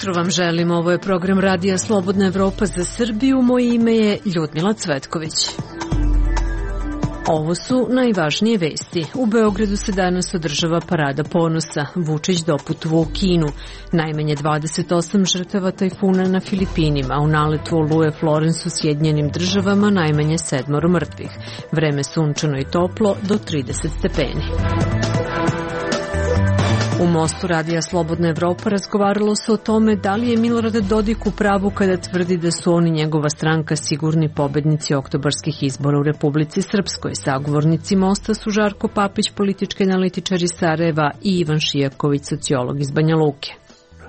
jutro vam želim, ovo je program Radija Slobodna Evropa za Srbiju, moje ime je Ljudmila Cvetković. Ovo su najvažnije vesti. U Beogradu se danas održava Parada ponosa. Vučić doputovao u Kinu. Najmanje 28 žrtava tajfuna na Filipinima. U naletu oluje Florence u Sjedinjenim Državama najmanje 7 mrtvih. Vreme sunčano i toplo do 30 stepeni. U Mostu Radija Slobodna Evropa razgovaralo se o tome da li je Milorad Dodik u pravu kada tvrdi da su on i njegova stranka sigurni pobednici oktobarskih izbora u Republici Srpskoj. Sagovornici Mosta su Žarko Papić, politički analitičar iz Sarajeva, i Ivan Šijaković, sociolog iz Banja Luke.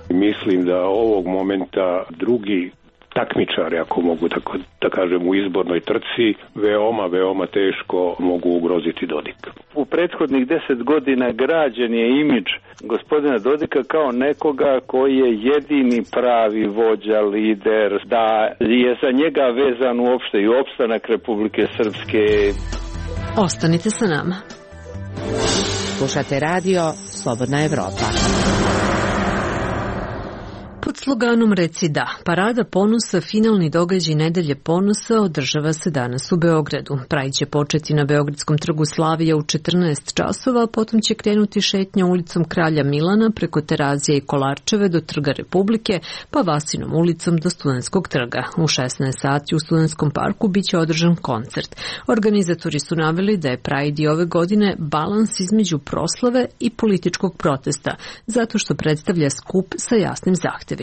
Mislim da ovog momenta drugi takmičari, ako mogu tako da kažem, u izbornoj trci, veoma teško mogu ugroziti Dodika. U prethodnih 10 godina građen je imidž gospodina Dodika kao nekoga koji je jedini pravi vođa, lider, da je za njega vezan uopšte i opstanak Republike Srpske. Ostanite sa nama. Slušate radio Slobodna Evropa. Pod sloganom Reci da, Parada ponosa, finalni događaj Nedelje ponosa, održava se danas u Beogradu. Pride će početi na Beogradskom trgu Slavija u 14 časova, potom će krenuti šetnja ulicom Kralja Milana preko Terazija i Kolarčeve do Trga Republike, pa Vasinom ulicom do Studentskog trga. U 16 sati u Studentskom parku biće održan koncert. Organizatori su naveli da je Pride i ove godine balans između proslave i političkog protesta, zato što predstavlja skup sa jasnim zahtevima.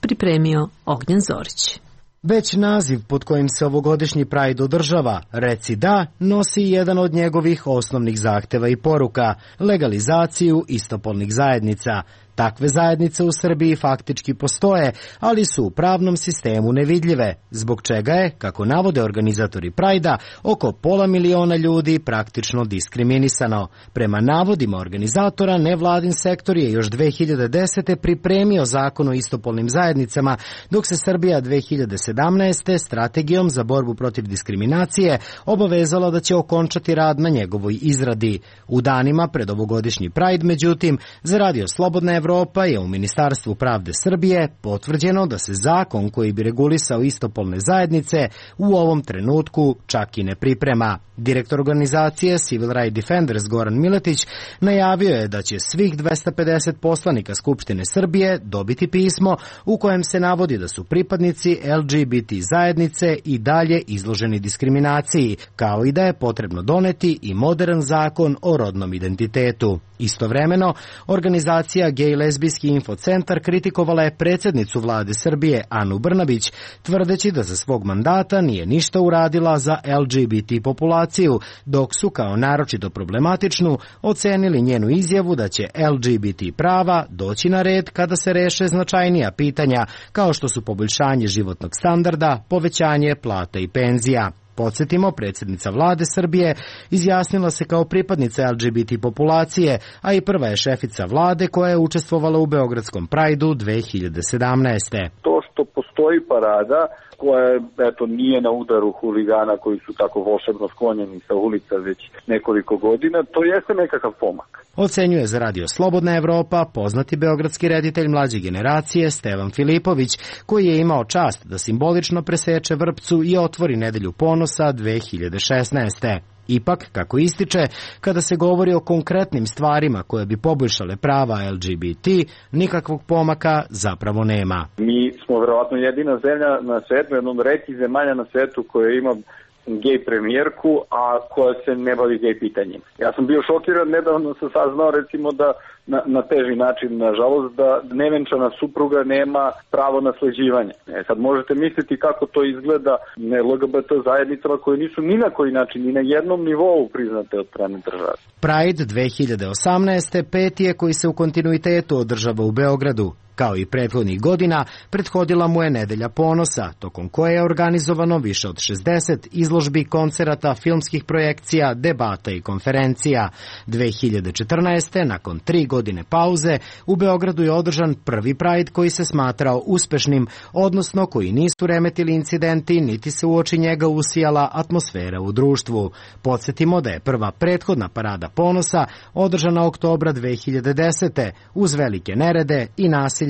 Pripremio Ognjen Zorić. Već naziv pod kojim se ovogodišnji Pride održava, Reci da, nosi jedan od njegovih osnovnih zahteva i poruka – legalizaciju istopolnih zajednica. Takve zajednice u Srbiji faktički postoje, ali su u pravnom sistemu nevidljive, zbog čega je, kako navode organizatori Prajda, oko 500.000 ljudi praktično diskriminisano. Prema navodima organizatora, nevladin sektor je još 2010. pripremio zakon o istopolnim zajednicama, dok se Srbija 2017. strategijom za borbu protiv diskriminacije obavezala da će okončati rad na njegovoj izradi. U danima pred ovogodišnji Pride, međutim, za Radio Slobodna Evropa je u Ministarstvu pravde Srbije potvrđeno da se zakon koji bi regulisao istopolne zajednice u ovom trenutku čak i ne priprema. Direktor organizacije Civil Rights Defenders Goran Miletić najavio je da će svih 250 poslanika Skupštine Srbije dobiti pismo u kojem se navodi da su pripadnici LGBT zajednice i dalje izloženi diskriminaciji, kao i da je potrebno doneti i modern zakon o rodnom identitetu. Istovremeno, organizacija Gej lezbijski infocentar kritikovala je predsjednicu vlade Srbije Anu Brnabić, tvrdeći da za svog mandata nije ništa uradila za LGBT populaciju, dok su kao naročito problematičnu ocenili njenu izjavu da će LGBT prava doći na red kada se reše značajnija pitanja, kao što su poboljšanje životnog standarda, povećanje plata i penzija. Podsjetimo, predsjednica vlade Srbije izjasnila se kao pripadnica LGBT populacije, a i prva je šefica vlade koja je učestvovala u Beogradskom Prajdu 2017. To što postoji parada koja nije na udaru huligana koji su tako volšebno sklonjeni sa ulica već nekoliko godina, to jeste nekakav pomak. Ocenjuje za Radio Slobodna Evropa poznati beogradski reditelj mlađe generacije Stevan Filipović, koji je imao čast da simbolično preseče vrpcu i otvori Nedelju ponosa 2016. Ipak, kako ističe, kada se govori o konkretnim stvarima koje bi poboljšale prava LGBT, nikakvog pomaka zapravo nema. Mi smo verovatno jedina zemlja na svetu, jedna od retkih zemalja na svetu koja ima gej premijerku, a koja se ne bavi gej pitanjima. Ja sam bio šokiran, nedavno sam saznao recimo da na teži način, nažalost, da nevenčana supruga nema pravo nasleđivanja. Sad možete misliti kako to izgleda LGBT zajednicama koje nisu ni na koji način, ni na jednom nivou priznate od strane države. Pride 2018. peti je koji se u kontinuitetu održava u Beogradu. Kao i prethodnih godina, prethodila mu je Nedelja ponosa, tokom koje je organizovano više od 60 izložbi, koncerata, filmskih projekcija, debata i konferencija. 2014. nakon 3 godine pauze, u Beogradu je održan prvi Pride koji se smatrao uspešnim, odnosno koji nisu remetili incidenti, niti se uoči njega usijala atmosfera u društvu. Podsjetimo da je prva prethodna Parada ponosa održana oktobra 2010. uz velike nerede i nasilje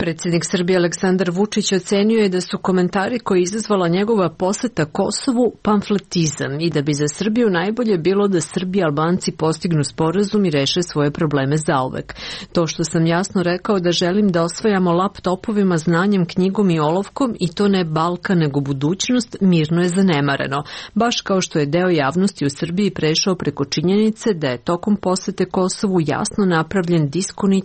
Predsjednik Srbije Aleksandar Vučić ocenio je da su komentari koje je izazvala njegova poseta Kosovu pamfletizam i da bi za Srbiju najbolje bilo da Srbi i Albanci postignu sporazum i reše svoje probleme zauvek. To što sam jasno rekao da želim da osvajamo laptopovima, znanjem, knjigom i olovkom i to ne Balkan nego budućnost, mirno je zanemareno. Baš kao što je deo javnosti u Srbiji prešao preko činjenice da je tokom posete Kosovu jasno napravljen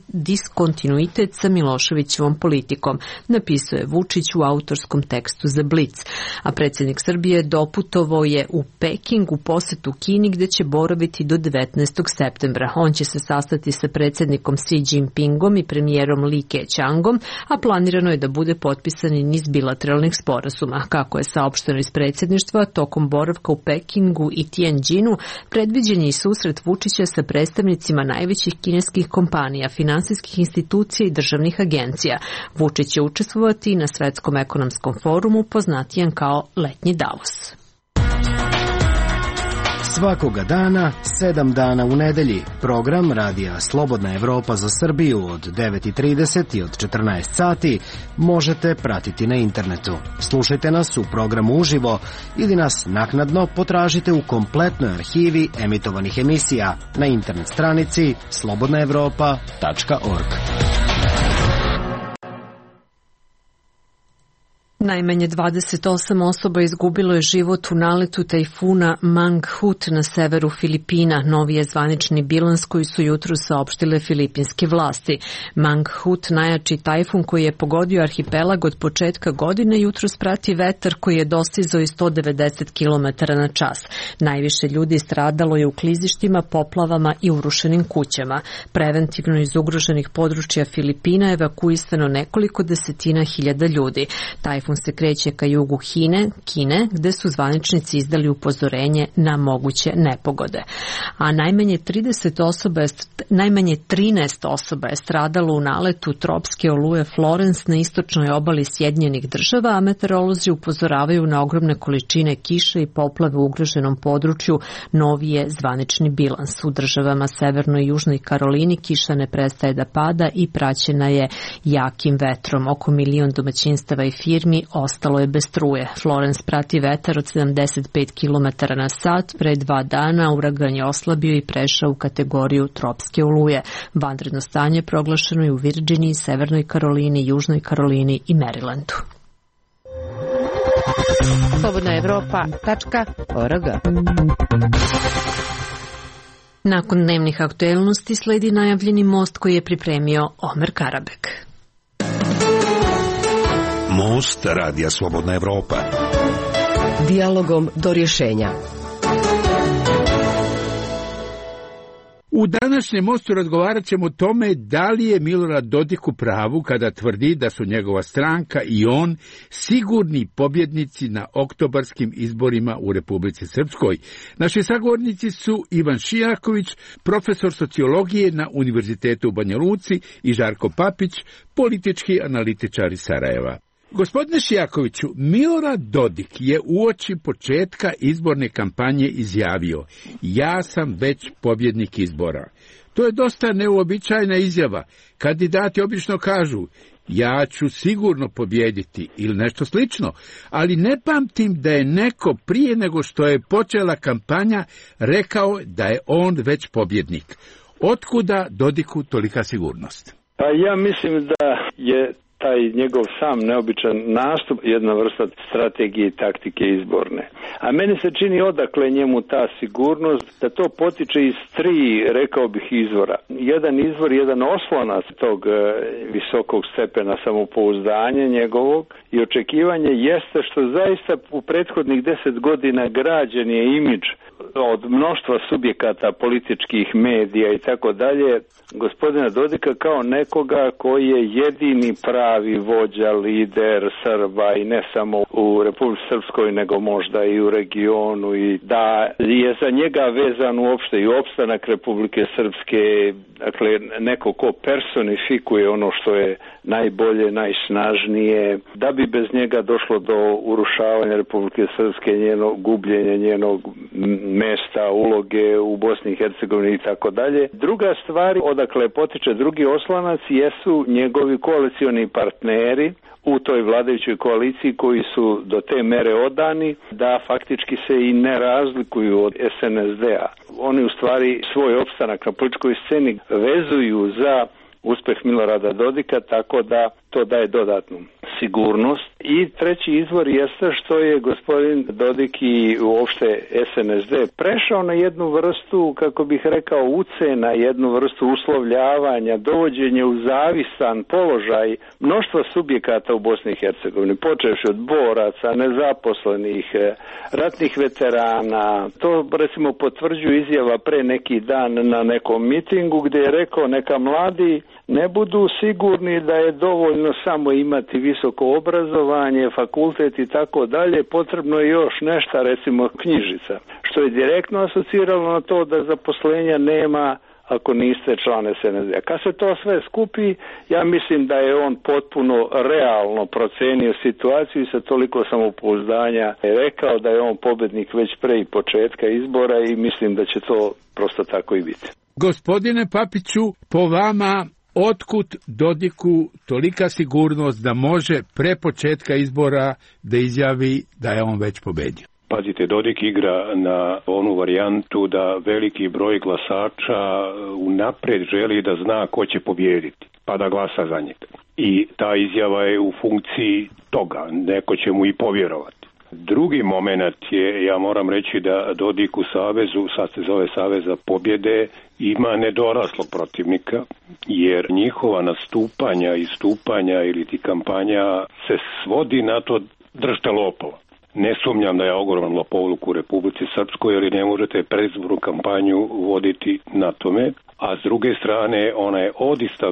diskontinuitet sa Miloševićevom politikom, napisao je Vučić u autorskom tekstu za Blic. A predsjednik Srbije doputovao je u Peking u posetu Kini gdje će boraviti do 19. septembra. On će se sastati sa predsjednikom Xi Jinpingom i premijerom Li Keqiangom, a planirano je da bude potpisan i niz bilateralnih sporazuma. Kako je saopšteno iz predsjedništva, tokom boravka u Pekingu i Tianjinu predviđen je i susret Vučića sa predstavnicima najvećih kineskih kompanija, finansijskih institucija i državnih agencija. Vučić će učestvovati na Svetskom ekonomskom forumu, poznatijem kao Letnji Davos. Svakoga dana, 7 dana u nedelji, program Radija Slobodna Evropa za Srbiju od 9:30 i od 14 sati možete pratiti na internetu. Slušajte nas u programu uživo ili nas naknadno potražite u kompletnoj arhivi emitovanih emisija na internet stranici slobodnaevropa.org. Najmanje 28 osoba izgubilo je život u naletu tajfuna Mangkhut na severu Filipina. Novi je zvanični bilans koji su jutro saopštile filipinske vlasti. Mangkhut, najjači tajfun koji je pogodio arhipelag od početka godine, jutro sprati vetar koji je dostizao i 190 km na čas. Najviše ljudi stradalo je u klizištima, poplavama i urušenim kućama. Preventivno iz ugroženih područja Filipina evakuisano nekoliko desetina hiljada ljudi. Tajfun se kreće ka jugu Kine, gde su zvaničnici izdali upozorenje na moguće nepogode. A najmanje 13 osoba je stradalo u naletu tropske oluje Florence na istočnoj obali Sjedinjenih Država, a meteorolozi upozoravaju na ogromne količine kiše i poplave u ugroženom području. Novi je zvanični bilans. U državama Severnoj i Južnoj Karolini kiša ne prestaje da pada i praćena je jakim vetrom. Oko 1.000.000 domaćinstava i firmi ostalo je bez struje. Florence prati vetar od 75 km na sat. Pre 2 dana uragan je oslabio i prešao u kategoriju tropske oluje. Vanredno stanje proglašeno je u Virginiji, Severnoj Karolini, Južnoj Karolini i Marylandu. slobodnaevropa.org. Nakon dnevnih aktuelnosti sledi najavljeni most koji je pripremio Omer Karabek. Most Radija Slobodna Evropa. Dijalogom do rješenja. U današnjem mostu razgovarat ćemo o tome da li je Milorad Dodik u pravu kada tvrdi da su njegova stranka i on sigurni pobjednici na oktobarskim izborima u Republici Srpskoj. Naši sagovornici su Ivan Šijaković, profesor sociologije na Univerzitetu u Banja Luci, i Žarko Papić, politički analitičar iz Sarajeva. Gospodine Šijakoviću, Milorad Dodik je uoči početka izborne kampanje izjavio: ja sam već pobjednik izbora. To je dosta neuobičajena izjava. Kandidati obično kažu: ja ću sigurno pobijediti ili nešto slično, ali ne pamtim da je neko prije nego što je počela kampanja rekao da je on već pobjednik. Otkuda Dodiku tolika sigurnost? Pa ja mislim da je taj njegov sam neobičan nastup jedna vrsta strategije i taktike izborne. A meni se čini odakle njemu ta sigurnost, da to potiče iz 3, rekao bih, izvora. Jedan izvor, jedan oslonac tog visokog stepena samopouzdanja njegovog i očekivanje jeste što zaista u prethodnih 10 godina građen je imidž od mnoštva subjekata političkih medija i tako dalje, gospodina Dodika kao nekoga koji je jedini pravi vođa, lider Srba i ne samo u Republici Srpskoj nego možda i u regionu, i da je za njega vezan uopšte i opstanak Republike Srpske, dakle neko ko personifikuje ono što je najbolje, najsnažnije, da bi bez njega došlo do urušavanja Republike Srpske, njenog gubljenja, njenog mesta, uloge u Bosni i Hercegovini i tako dalje. Druga stvar, odakle potiče drugi oslanac, jesu njegovi koalicioni partneri u toj vladajućoj koaliciji koji su do te mere odani da faktički se i ne razlikuju od SNSD-a. Oni u stvari svoj opstanak na političkoj sceni vezuju za uspeh Milorada Dodika, tako da to daje dodatnu sigurnost. I treći izvor jeste što je gospodin Dodik i uopšte SNSD prešao na jednu vrstu, kako bih rekao, ucena, jednu vrstu uslovljavanja, dovođenja u zavisan položaj mnoštva subjekata u Bosni i Hercegovini, počevši od boraca, nezaposlenih, ratnih veterana. To recimo potvrđuje izjava pre neki dan na nekom mitingu gdje je rekao neka mladi ne budu sigurni da je dovoljno samo imati visoko obrazovanje, fakultet i tako dalje, potrebno je još nešto, recimo knjižica, što je direktno asociralo na to da zaposlenja nema ako niste član SNSD. Kad se to sve skupi, ja mislim da je on potpuno realno procenio situaciju i sa toliko samopouzdanja je rekao da je on pobednik već pre i početka izbora i mislim da će to prosto tako i biti. Gospodine Papiću, po vama otkud Dodiku tolika sigurnost da može pre početka izbora da izjavi da je on već pobedio? Pazite, Dodik igra na onu varijantu da veliki broj glasača unapred želi da zna ko će pobijediti, pa da glasa za njega. I ta izjava je u funkciji toga, neko će mu i povjerovati. Drugi moment je, ja moram reći da Dodik u savezu, sad se zove Savez za pobjede, ima nedoraslog protivnika, jer njihova nastupanja, istupanja ili ti kampanja se svodi na to držte lopova. Ne sumnjam da je ogroman lopovluk u Republici Srpskoj, jer ne možete predizbornu kampanju voditi na tome. A s druge strane, ona je odista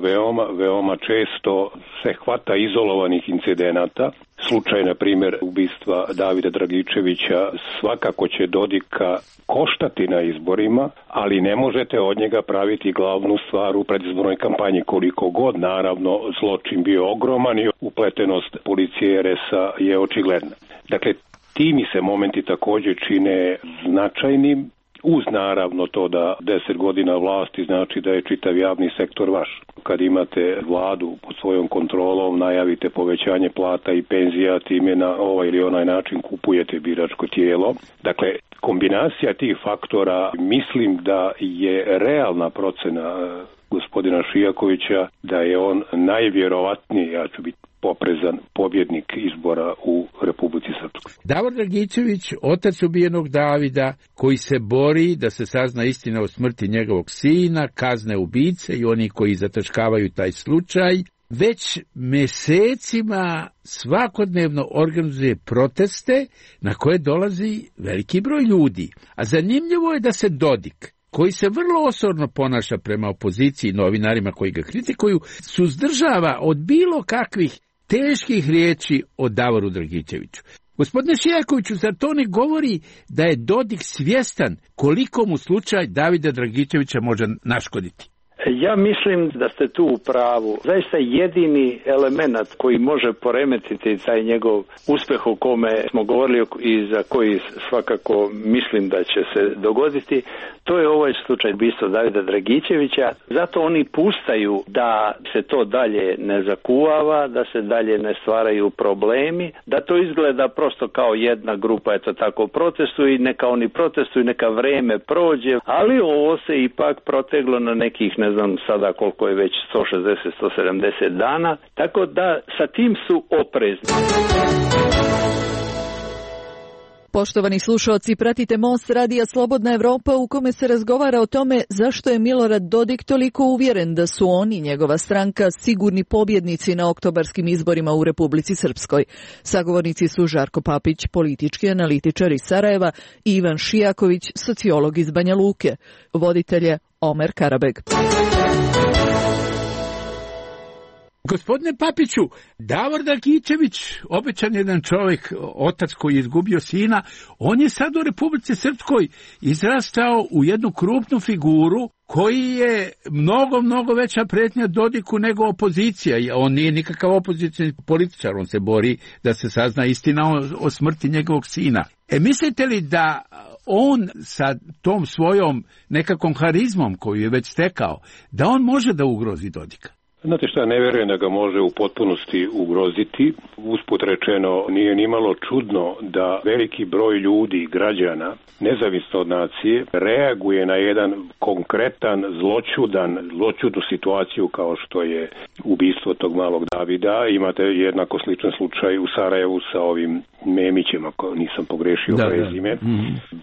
veoma često se hvata izolovanih incidenata. Slučaj, na primjer, ubistva Davida Dragičevića svakako će Dodika koštati na izborima, ali ne možete od njega praviti glavnu stvar u predizbornoj kampanji, koliko god, naravno, zločin bio ogroman i upletenost policije RS-a je očigledna. Dakle, ti mi se momenti također čine značajnim, uz naravno to da 10 godina vlasti znači da je čitav javni sektor vaš. Kad imate vladu pod svojom kontrolom, najavite povećanje plata i penzija, time na ovaj ili onaj način kupujete biračko tijelo. Dakle, kombinacija tih faktora, mislim da je realna procena gospodina Šijakovića da je on najvjerovatniji, ja ću biti poprezan, pobjednik izbora u Republici Srpskoj. Davor Dragičević, otac ubijenog Davida, koji se bori da se sazna istina o smrti njegovog sina, kazne ubice i oni koji zataškavaju taj slučaj, već mesecima svakodnevno organizuje proteste na koje dolazi veliki broj ljudi. A zanimljivo je da se Dodik, koji se vrlo osorno ponaša prema opoziciji i novinarima koji ga kritikuju, suzdržava od bilo kakvih teških riječi o Davoru Dragičeviću. Gospodine Šijakoviću, zar to ne govori da je Dodik svjestan koliko mu slučaj Davida Dragičevića može naškoditi? Ja mislim da ste tu u pravu. Zaista jedini element koji može poremetiti taj njegov uspeh o kome smo govorili i za koji svakako mislim da će se dogoditi, to je ovaj slučaj ubistva Davida Dragičevića. Zato oni pustaju da se to dalje ne zakuvava, da se dalje ne stvaraju problemi, da to izgleda prosto kao jedna grupa, eto tako, protestuju i neka oni protestuju, neka vreme prođe, ali ovo se ipak proteglo na nekih, ne znam sada koliko je već, 160-170 dana, tako da sa tim su oprezni. Poštovani slušaoci, pratite Most Radija Slobodna Evropa u kome se razgovara o tome zašto je Milorad Dodik toliko uvjeren da su on i njegova stranka sigurni pobjednici na oktobarskim izborima u Republici Srpskoj. Sagovornici su Žarko Papić, politički analitičar iz Sarajeva, i Ivan Šijaković, sociolog iz Banja Luke. Voditelj je Omer Karabeg. Gospodine Papiću, Davor Dragičević, obećan jedan čovjek, otac koji je izgubio sina, on je sad u Republici Srpskoj izrastao u jednu krupnu figuru koji je mnogo veća pretnja Dodiku nego opozicija. On nije nikakav opozicijni političar, on se bori da se sazna istina o smrti njegovog sina. Mislite li da on sa tom svojom nekakvom harizmom koju je već stekao, da on može da ugrozi Dodika? Znate šta, ne vjerujem da ga može u potpunosti ugroziti. Usput rečeno, nije ni malo čudno da veliki broj ljudi, građana, nezavisno od nacije, reaguje na jedan konkretan, zloćudnu situaciju kao što je ubistvo tog malog Davida. Imate jednako sličan slučaj u Sarajevu sa ovim Memićem, ako nisam pogrešio prezime,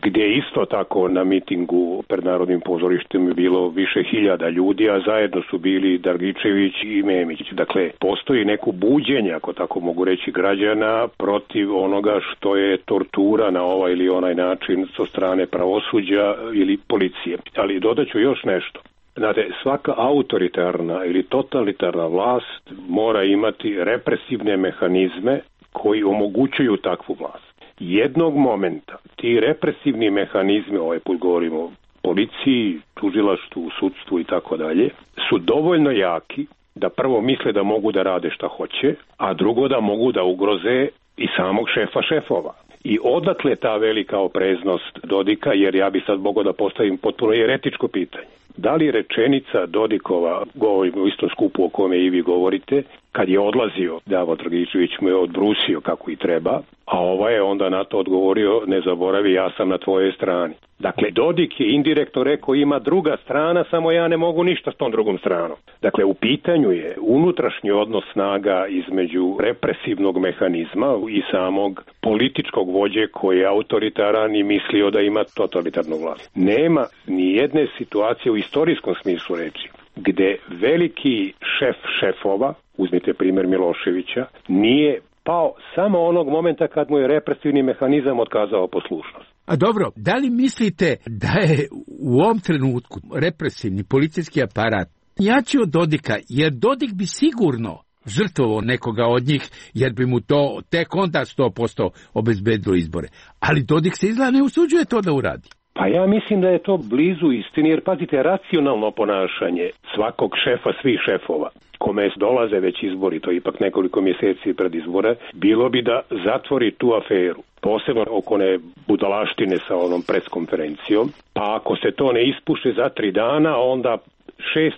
gdje isto tako na mitingu pred Narodnim pozorištem je bilo više hiljada ljudi, a zajedno su bili Dragičević i Memić. Dakle, postoji neko buđenje, ako tako mogu reći, građana protiv onoga što je tortura na ovaj ili onaj način sa strane pravosuđa ili policije. Ali dodaću još nešto. Znate, svaka autoritarna ili totalitarna vlast mora imati represivne mehanizme koji omogućuju takvu vlast. Jednog momenta ti represivni mehanizmi, ovaj put govorimo o policiji, tužilaštvu, sudstvu i tako dalje, su dovoljno jaki da prvo misle da mogu da rade šta hoće, a drugo da mogu da ugroze i samog šefa šefova. I odakle ta velika opreznost Dodika, jer ja bi sad mogao da postavim potpuno eretičko pitanje. Da li rečenica Dodikova, govorimo o istom skupu o kome i vi govorite, kad je odlazio, Davor Dragičević mu je odbrusio kako i treba, a ovaj je onda na to odgovorio, ne zaboravi, ja sam na tvojoj strani. Dakle, Dodik je indirektno rekao, ima druga strana, samo ja ne mogu ništa s tom drugom stranom. Dakle, u pitanju je unutrašnji odnos snaga između represivnog mehanizma i samog političkog vođe koji je autoritaran i mislio da ima totalitarnu vlast. Nema ni jedne situacije u istorijskom smislu reči gde veliki šef šefova, uzmite primjer Miloševića, nije pao samo onog momenta kad mu je represivni mehanizam otkazao poslušnost. A dobro, da li mislite da je u ovom trenutku represivni policijski aparat jači od Dodika, jer Dodik bi sigurno žrtvovao nekoga od njih, jer bi mu to tek onda 100% obezbedilo izbore. Ali Dodik se izgleda ne usuđuje to da uradi. Pa ja mislim da je to blizu istini, jer pazite, racionalno ponašanje svakog šefa, svih šefova, kome dolaze već izbori, to je ipak nekoliko mjeseci pred izbore, bilo bi da zatvori tu aferu. Posebno oko one budalaštine sa onom preskonferencijom, pa ako se to ne ispuše za 3 dana, onda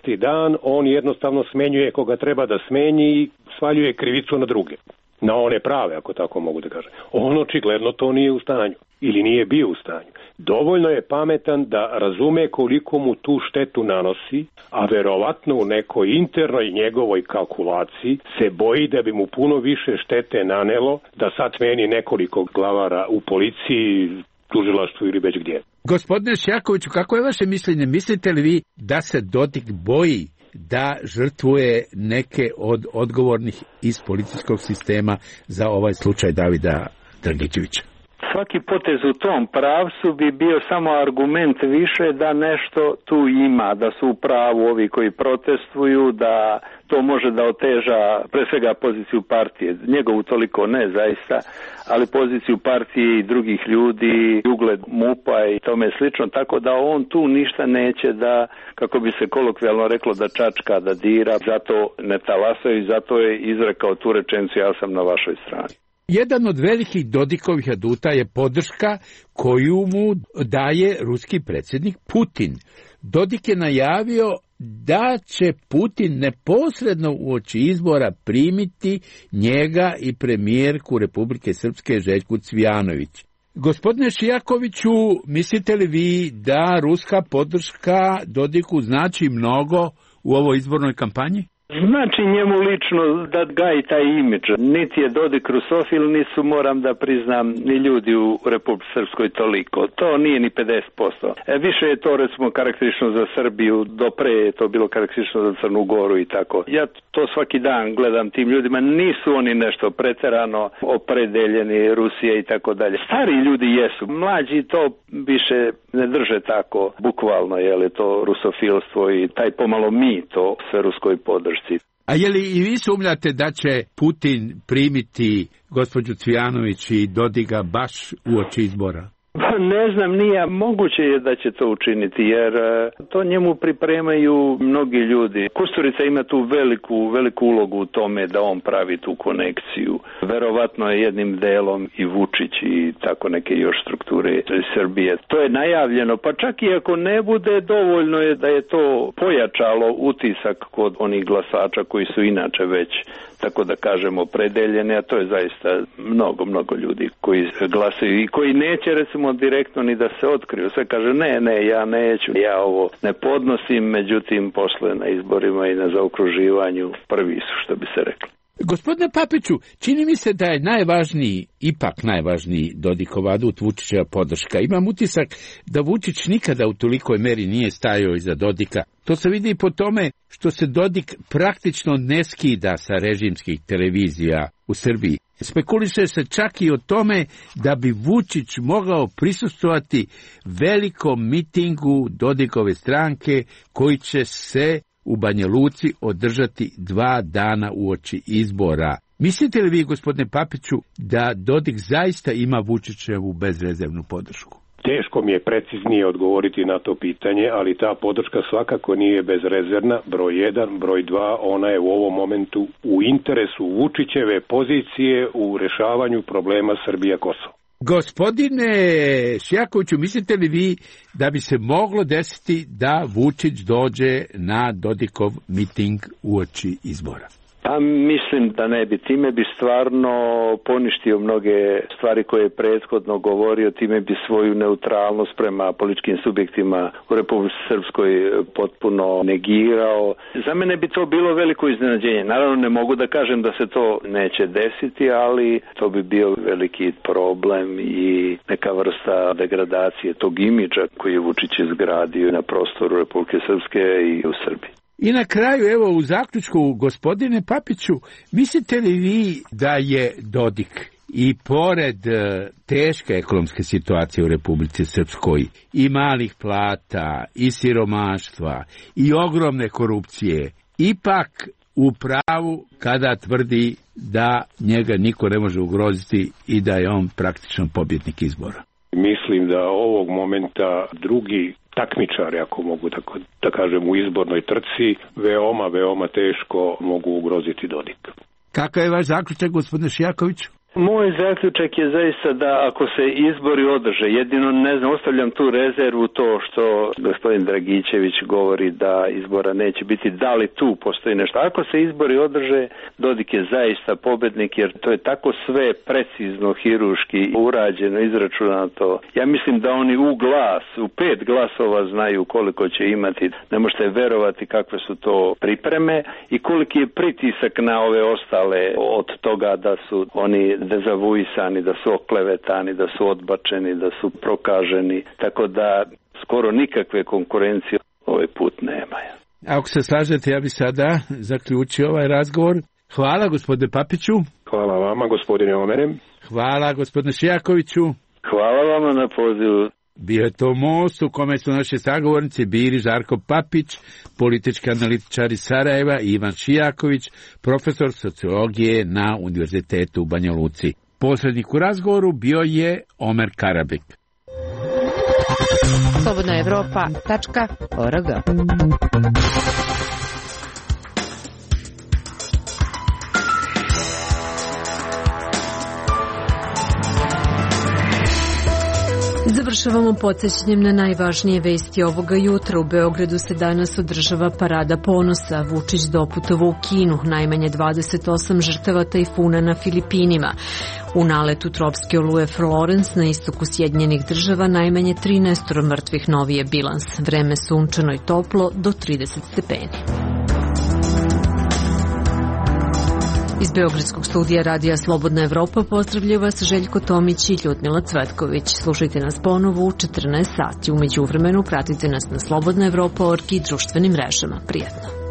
6. dan on jednostavno smenjuje koga treba da smenji i svaljuje krivicu na druge. Na one prave, ako tako mogu da kažem. On očigledno to nije u stanju ili nije bio u stanju. Dovoljno je pametan da razume koliko mu tu štetu nanosi, a verovatno u nekoj internoj njegovoj kalkulaciji se boji da bi mu puno više štete nanelo da sad smeni nekoliko glavara u policiji, tužilaštvu ili već gdje. Gospodine Šjakoviću, kako je vaše mišljenje? Mislite li vi da se Dodik boji da žrtvuje neke od odgovornih iz policijskog sistema za ovaj slučaj Davida Dragičevića? Svaki potez u tom pravcu bi bio samo argument više da nešto tu ima, da su u pravu ovi koji protestuju, da to može da oteža pre svega poziciju partije. Njegovu toliko ne zaista, ali poziciju partije i drugih ljudi, ugled MUP-a i tome slično, tako da on tu ništa neće da, kako bi se kolokvijalno reklo, da čačka, da dira, zato ne talasaju i zato je izrekao tu rečenicu, ja sam na vašoj strani. Jedan od velikih Dodikovih aduta je podrška koju mu daje ruski predsjednik Putin. Dodik je najavio da će Putin neposredno uoči izbora primiti njega i premijerku Republike Srpske Željku Cvijanović. Gospodine Šijakoviću, mislite li vi da ruska podrška Dodiku znači mnogo u ovoj izbornoj kampanji? Znači njemu lično da gaji taj imidž. Niti je Dodik rusofil, nisu, moram da priznam, ni ljudi u Republici Srpskoj toliko. To nije ni 50%. Više je to recimo karakteristično za Srbiju, dopre je to bilo karakteristično za Crnu Goru i tako. Ja to svaki dan gledam tim ljudima, nisu oni nešto preterano opredeljeni, Rusija i tako dalje. Stari ljudi jesu, mlađi to više ne drže tako bukvalno, je li to rusofilstvo i taj pomalo mi to sve ruskoj podršci. A je li i vi sumnjate da će Putin primiti gospođu Cvijanović i Dodiga baš uoči izbora? Ne znam, nije moguće je da će to učiniti, jer to njemu pripremaju mnogi ljudi. Kusturica ima tu veliku ulogu u tome da on pravi tu konekciju. Verovatno je jednim delom i Vučić i tako neke još strukture Srbije. To je najavljeno, pa čak i ako ne bude, dovoljno je da je to pojačalo utisak kod onih glasača koji su inače već, tako da kažemo, predeljene, a to je zaista mnogo ljudi koji glasaju i koji neće recimo direktno ni da se otkriju. Sve kaže ne, ja neću, ja ovo ne podnosim, međutim posle na izborima i na zaokruživanju prvi su, što bi se reklo. Gospodine Papiću, čini mi se da je ipak najvažniji Dodikov adut Vučićeva podrška. Imam utisak da Vučić nikada u tolikoj meri nije stajao iza Dodika. To se vidi i po tome što se Dodik praktično ne skida sa režimskih televizija u Srbiji. Spekuliše se čak i o tome da bi Vučić mogao prisustvovati velikom mitingu Dodikove stranke koji će se u Banja Luci održati 2 dana uoči izbora. Mislite li vi, gospodine Papiću, da Dodik zaista ima Vučićevu bezrezervnu podršku? Teško mi je preciznije odgovoriti na to pitanje, ali ta podrška svakako nije bezrezervna. Broj 1, broj 2, ona je u ovom momentu u interesu Vučićeve pozicije u rešavanju problema Srbija-Kosovo. Gospodine Šjakoviću, mislite li vi da bi se moglo desiti da Vučić dođe na Dodikov miting uoči izbora? Pa mislim da ne bi. Time bi stvarno poništio mnoge stvari koje je prethodno govorio, time bi svoju neutralnost prema političkim subjektima u Republici Srpskoj potpuno negirao. Za mene bi to bilo veliko iznenađenje. Naravno ne mogu da kažem da se to neće desiti, ali to bi bio veliki problem i neka vrsta degradacije tog imidža koji je Vučić izgradio na prostoru Republike Srpske i u Srbiji. I na kraju, evo u zaključku, gospodine Papiću, mislite li vi da je Dodik i pored teške ekonomske situacije u Republici Srpskoj i malih plata i siromaštva i ogromne korupcije, ipak u pravu kada tvrdi da njega niko ne može ugroziti i da je on praktično pobjednik izbora? Mislim da ovog momenta drugi takmičari, ako mogu tako da kažem, u izbornoj trci, veoma teško mogu ugroziti Dodik. Kakav je vaš zaključak, gospodine Šjakoviću? Moj zaključak je zaista da ako se izbori održe, jedino ne znam, ostavljam tu rezervu to što gospodin Dragičević govori da izbora neće biti, da li tu postoji nešto. Ako se izbori održe, Dodik je zaista pobednik, jer to je tako sve precizno, hiruški urađeno, izračunato. Ja mislim da oni u 5 glasova znaju koliko će imati. Ne možete verovati kakve su to pripreme i koliki je pritisak na ove ostale od toga da su oni dezavuisani, da su oklevetani, da su odbačeni, da su prokaženi, tako da skoro nikakve konkurencije ovaj put nema. Ako se slažete, ja bih sada zaključio ovaj razgovor. Hvala, gospodine Papiću. Hvala vama, gospodine Omerem. Hvala, gospodine Šijakoviću. Hvala vama na pozivu. Bio je to most u kome su naši sagovornici bili Žarko Papić, politički analitičar iz Sarajeva, i Ivan Šijaković, profesor sociologije na Univerzitetu u Banja Luci. Posrednik u razgovoru bio je Omer Karabek. slobodnaevropa.org. Završavamo podsjećanjem na najvažnije vesti ovoga jutra. U Beogradu se danas održava parada ponosa. Vučić doputovao u Kinu, najmanje 28 žrtava tajfuna na Filipinima. U naletu tropske oluje Florence na istoku Sjedinjenih Država najmanje 13 mrtvih, novi je bilans. Vreme sunčano i toplo do 30 stepeni. Iz Beogradskog studija Radija Slobodna Evropa pozdravljaju vas Željko Tomić i Ljudmila Cvetković. Slušajte nas ponovo u 14 sati. U međuvremenu pratite nas na slobodnaevropa.org i društvenim mrežama. Prijetno.